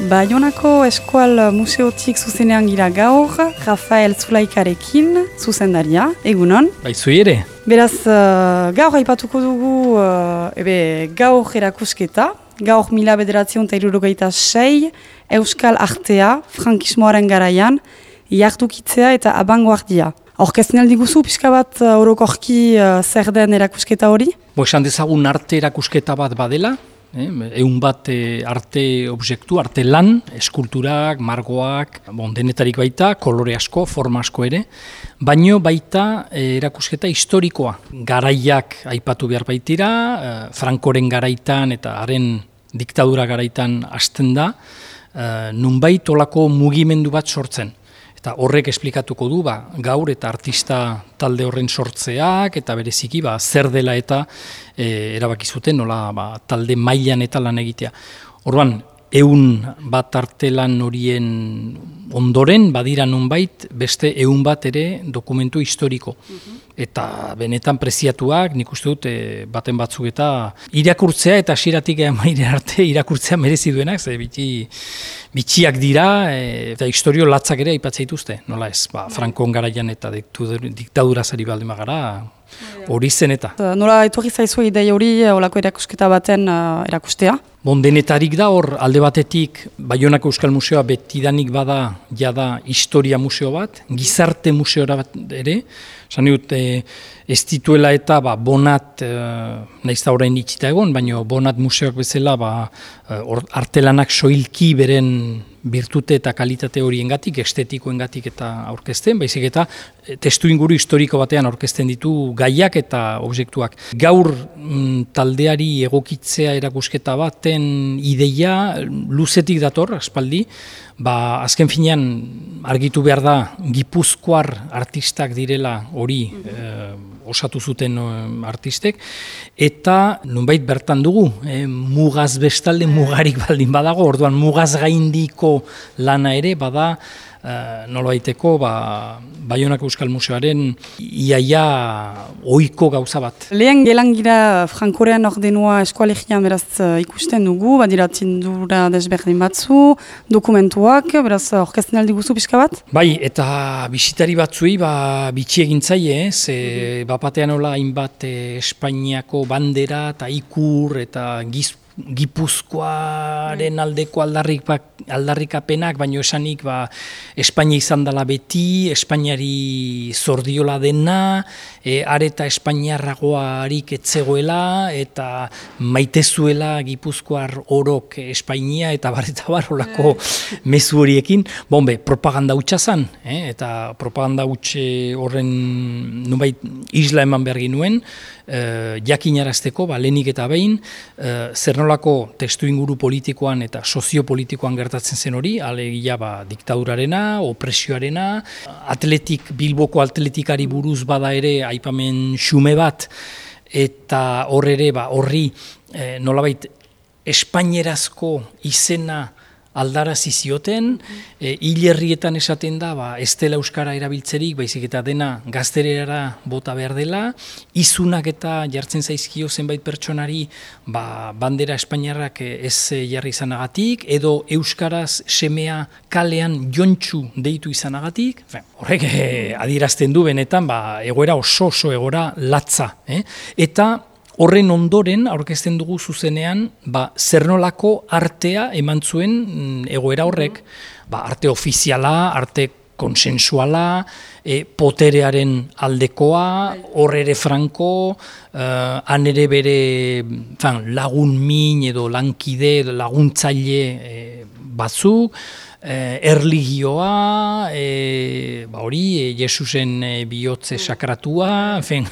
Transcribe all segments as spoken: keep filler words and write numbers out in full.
Baionako Eskual Museotik zuzenean gira gaur, Rafael Zulaikarekin, zuzendaria, egunon. Baizu ere. Beraz, uh, gaur aipatuko dugu uh, ebe, gaur erakusketa, gaur mila bederatzion eta hirurogeita sei, Euskal Artea, frankismoaren garaian, jardukitzea eta abangoardia. Aurkezten aldiguzu, pixka bat uh, orokorki uh, zer den erakusketa hori? Bo, esan dezagun arte erakusketa bat badela, eh, egun bat eh, arte objektu, arte lan, eskulturak, margoak, bon, denetarik baita, kolore asko, forma asko ere, baino baita eh, erakusketa historikoa. Garaiak aipatu behar baitira, eh, Frankoren garaitan eta haren diktadura garaitan hasten da, eh, nunbait olako mugimendu bat sortzen. Eta horrek esplikatuko du ba, gaur eta artista talde horren sortzeak eta bereziki ba, zer dela eta e, erabaki zuten nola ba, talde mailan eta lan egitea. Orduan, ehun bat artelan horien ondoren badira nonbait beste ehun bat ere dokumentu historiko. Eta benetan preziatuak, nik uste dut, e, baten batzuk eta irakurtzea eta hasieratik maire arte irakurtzea merezi duenak, ze biti, bitxiak dira e, eta historio latzak ere aipatzen dituzte, nola ez, ba, Frankon garaian eta diktadurazari baldin bagara, hori zen eta. Nola etorri zaizu idei hori olako erakusketa baten uh, erakustea? Bon, denetarik da hor, alde batetik, Baionako Euskal Museoa betidanik bada, jada historia museo bat, gizarte museo bat ere, esan dut, e, ez dituela eta ba, bonat, e, nahiz da orain itxita egon, baina bonat museoak bezala ba, or, artelanak soilki beren birtute eta kalitate horiengatik, estetikoengatik eta aurkezten, baizik eta testu inguru historiko batean aurkezten ditu gaiak eta objektuak. Gaur mm, taldeari egokitzea erakusketa baten ideia luzetik dator, aspaldi, ba, azken finean argitu behar da Gipuzkoar artistak direla hori eh, osatu zuten artistek, eta nonbait bertan dugu, eh, mugaz bestalde mugarik baldin badago, orduan mugaz gaindiko lana ere bada Uh, nolabaiteko ba, Baionako Euskal Museoaren iaia ohiko gauza bat. Lehen gelangira Frankoren ordenua eskualegian beraz uh, ikusten dugu, badira tindura desberdin batzu, dokumentuak, beraz orkesten aldiguzu pixka bat? Bai, eta bisitari batzuei ba, bitxi egin zaie, ez, e, bapatean hola hainbat e, Espainiako bandera eta ikur eta giz Gipuzkoaren aldeko aldarrik, aldarrikapenak, baino esanik ba, Espainia izan dela beti, Espainiari zordiola dena, e, areta Espainiarragoarik etzegoela, eta maitezuela Gipuzkoar orok Espainia, eta bar eta bar olako mezu horiekin. Bombe, propaganda hutsa zan, eh? Eta propaganda hutse horren nubait isla eman behar ginuen, eh, jakinarazteko, ba, lehenik eta behin, eh, zer nolako testu inguru politikoan eta soziopolitikoan gertatzen zen hori, alegia ba, diktadurarena, opresioarena, atletik, Bilboko atletikari buruz bada ere aipamen xume bat, eta hor ere ba, horri eh, nolabait espainierazko izena aldarazi zioten, e, hilerrietan esaten da, ba, ez dela euskara erabiltzerik, baizik eta dena gazterera bota behar dela, izunak eta jartzen zaizkio zenbait pertsonari ba, bandera espainiarrak ez jarri izanagatik, edo euskaraz semea kalean jontxu deitu izanagatik, horrek eh, adierazten du benetan, ba, egoera oso oso egoera latza, eh? Eta horren ondoren, aurkezten dugu zuzenean, ba, zer nolako artea eman zuen egoera horrek, ba, arte ofiziala, arte konsensuala, e, poterearen aldekoa, hor ere Franko, uh, han ere bere fan, lagun min edo lankide, laguntzaile e, batzuk, Eh, erligioa, eh, ba hori, eh, Jesusen eh, bihotze sakratua, enfen,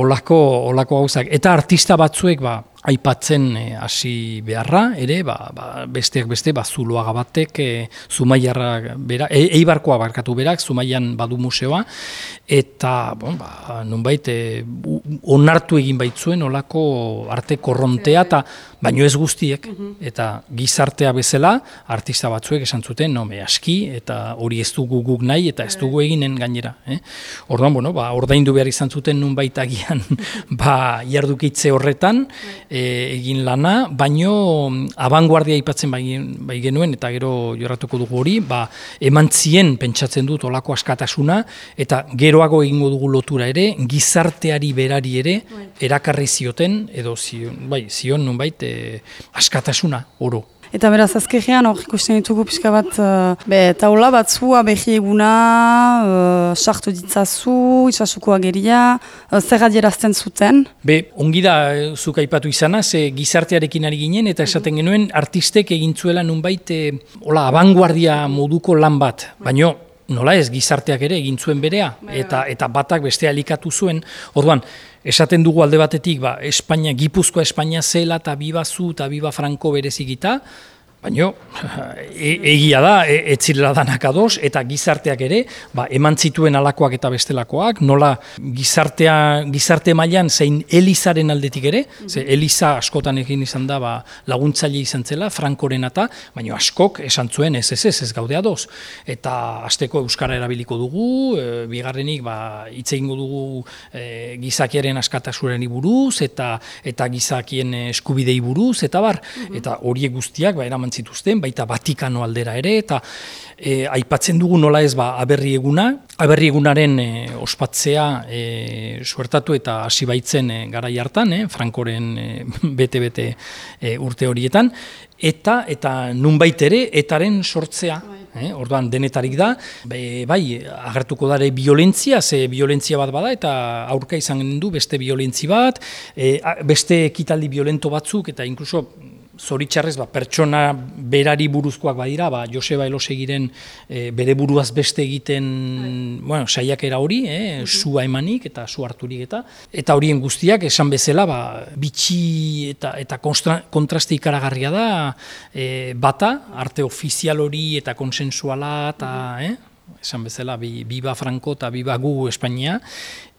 olako, olako gauzak. Eta artista batzuek, ba, aipatzen hasi eh, beharra, ere, ba, ba, besteak beste, ba, Zuloaga batek, eh, Zumaiarra berak, e, Eibarkoa barkatu berak, Zumaian badu museoa, eta, bon, ba, nonbait, eh, onartu egin baitzuen olako arte korrontea, eta baino ez guztiek, eta gizartea bezala, artista batzuek esan zuten, no, me aski, eta hori ez dugu guk nahi, eta ez dugu eginen gainera. Eh? Orduan, bueno, ba, ordaindu behar izan zuten nun baitagian ba, jardukitze horretan e, egin lana, baino abanguardia aipatzen bai, bai genuen, eta gero jorratuko dugu hori, ba, eman zien pentsatzen dut olako askatasuna, eta geroago egingo dugu lotura ere, gizarteari berari ere, erakarri zioten, edo zion, bai, zion nunbait e, askatasuna, oro. Eta beraz, azkenean hor ikusten ditugu pixka bat, uh, be, taula batzua behi eguna, uh, sartu ditzazu, itxasuko ageria, uh, zer adierazten zuten? Be, ongi da, zuk aipatu izana, ze gizartearekin ari ginen, eta esaten genuen artistek egintzuela nunbait, e, hola, abanguardia moduko lan bat, baino, nola ez, gizarteak ere egin zuen berea, eta, eta batak bestea elikatu zuen, orduan, esaten dugu alde batetik, ba, Espainia, Gipuzkoa Espainia zela eta biba zu eta biba Franco berezikita, baina e, egia da, e, etzirela danak ados, eta gizarteak ere, ba, eman zituen alakoak eta bestelakoak, nola gizartea, gizarte mailan zein Elizaren aldetik ere, ze Eliza askotan egin izan da ba, laguntzaile izan zela, Frankoren eta, baina askok esan zuen ez ez ez, ez gaude ados. Eta hasteko euskara erabiliko dugu, e, bigarrenik ba, hitz egingo dugu e, gizakiaren askatasunari buruz, eta eta gizakien eskubidei buruz, eta bar, eta horiek guztiak ba, eraman zituzten, baita Vatikano aldera ere, eta e, aipatzen dugu nola ez ba, aberri eguna, aberri egunaren e, ospatzea e, suertatu eta hasi baitzen e, garai hartan, e, Frankoren e, bete-bete e, urte horietan, eta eta nunbait ere etaren sortzea, eh, orduan denetarik da, be, bai, agertuko dare violentzia, ze violentzia bat bada, eta aurka izan du beste violentzi bat, e, beste ekitaldi violento batzuk, eta inkluso zoritxarrez, ba, pertsona berari buruzkoak badira, ba, Joseba Elosegiren e, bere buruaz beste egiten bueno, saiakera hori, eh, sua emanik eta su harturik eta eta horien guztiak esan bezala ba, bitxi eta, eta kontraste ikaragarria da e, bata, arte ofizial hori eta konsensuala eta eh, esan bezala bi, biba Franco eta biba gu Espainia,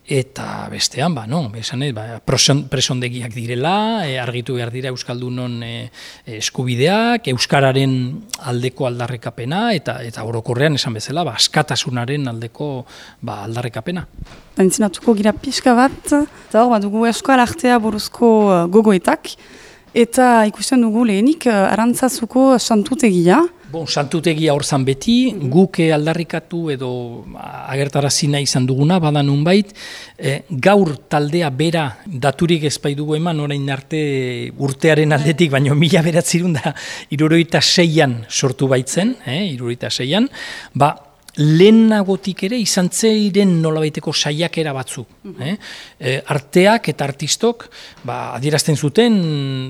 eta bestean, ba, no, esan ez, ba, presondegiak direla, e, argitu behar dira Euskaldunon e, eskubideak, Euskararen aldeko aldarrekapena, eta eta orokorrean esan bezala, ba, askatasunaren aldeko ba, aldarrekapena. Entzinatuko gira pixka bat, eta hor, ba, dugu Euskal Artea buruzko uh, gogoetak, eta ikusten dugu lehenik uh, Arantzazuko santutegia. Bon, santutegia hor zan beti, guk aldarrikatu edo agertarazi nahi izan duguna, bada nunbait, e, gaur taldea bera daturik ez dugu eman, orain arte urtearen aldetik, baina mila beratzerun da hirurogeita seian sortu baitzen, eh, hirurogeita seian, ba, lehenagotik ere izan zeiren nolabaiteko saiakera batzuk. Eh? E, arteak eta artistok ba, adierazten zuten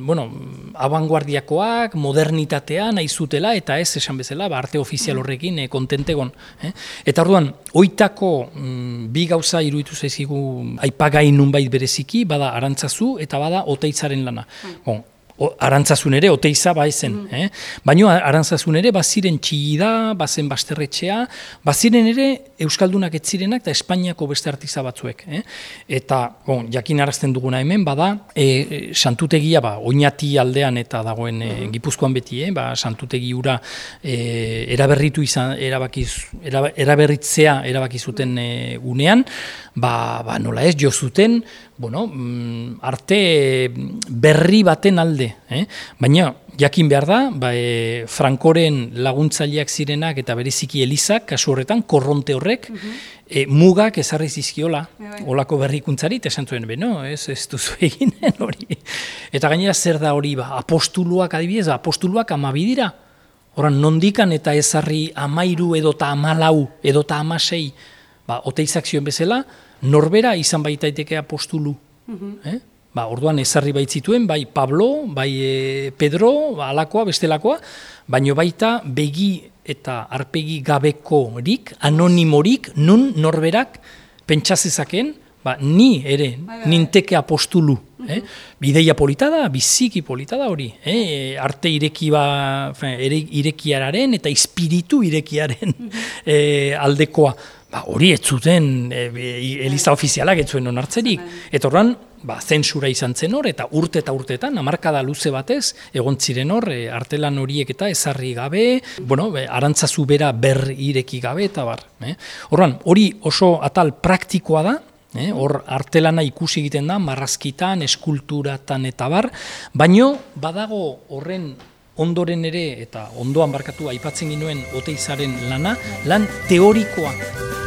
bueno, abanguardiakoak, modernitatea nahi zutela, eta ez esan bezala ba, arte ofizial horrekin e, kontentegon. Eh? Eta orduan, oitako mm, bi gauza iruditu zaizkigu aipagai nunbait bereziki, bada Arantzazu eta bada Oteitzaren lana. Bon, O, Arantzazun ere, Oteiza baizen. Mm. Eh? Baina Arantzazun ere, baziren txillida, bazen basterretxea, baziren ere Euskaldunak ez zirenak eta Espainiako beste artiza batzuek. Eh? Eta, bon, jakin arazten duguna hemen, bada, e, santutegia, ba, Oñati aldean eta dagoen e, Gipuzkoan beti, eh? ba, santutegi hura e, eraberritu izan, erabakiz, era, eraberritzea erabaki zuten e, unean, ba, ba, nola ez, jo zuten, bueno, arte berri baten alde, eh? Baina jakin behar da, ba, e, Frankoren laguntzaileak zirenak eta bereziki Elizak, kasu horretan, korronte horrek, e, mugak ezarri zizkiola, olako berrikuntzari, eta esan zuen, beno, ez, ez duzu eginen hori. Eta gainera zer da hori, ba, apostuluak adibidez, apostuluak amabidira, horan nondikan eta ezarri amairu edota amalau, edota amasei, ba, Oteizak zioen bezala, norbera izan baitaiteke apostulu. Mm-hmm. eh? Ba, orduan ezarri baitzituen, bai Pablo, bai e, Pedro, ba, alakoa, bestelakoa, baino baita begi eta arpegi gabekorik, anonimorik, nun norberak pentsazezaken, ba, ni ere, ninteke apostulu. Eh? Bideia polita da, biziki polita da hori. Eh? Arte ireki ba, ere, irekiararen eta espiritu irekiaren eh, aldekoa. Ba, hori ez zuten e, Eliza ofizialak ez zuen onartzerik. Eta horren, ba, zentsura izan zen hor, eta urte eta urteetan, hamarkada luze batez, egon ziren hor, e, artelan horiek eta ezarri gabe, bueno, be, arantzazu bera ber ireki gabe, eta bar. Eh? Horran, hori oso atal praktikoa da, eh? Hor artelana ikusi egiten da, marrazkitan, eskulturatan eta bar, baino badago horren ondoren ere, eta ondoan barkatu aipatzen ginuen Oteizaren lana, lan teorikoa.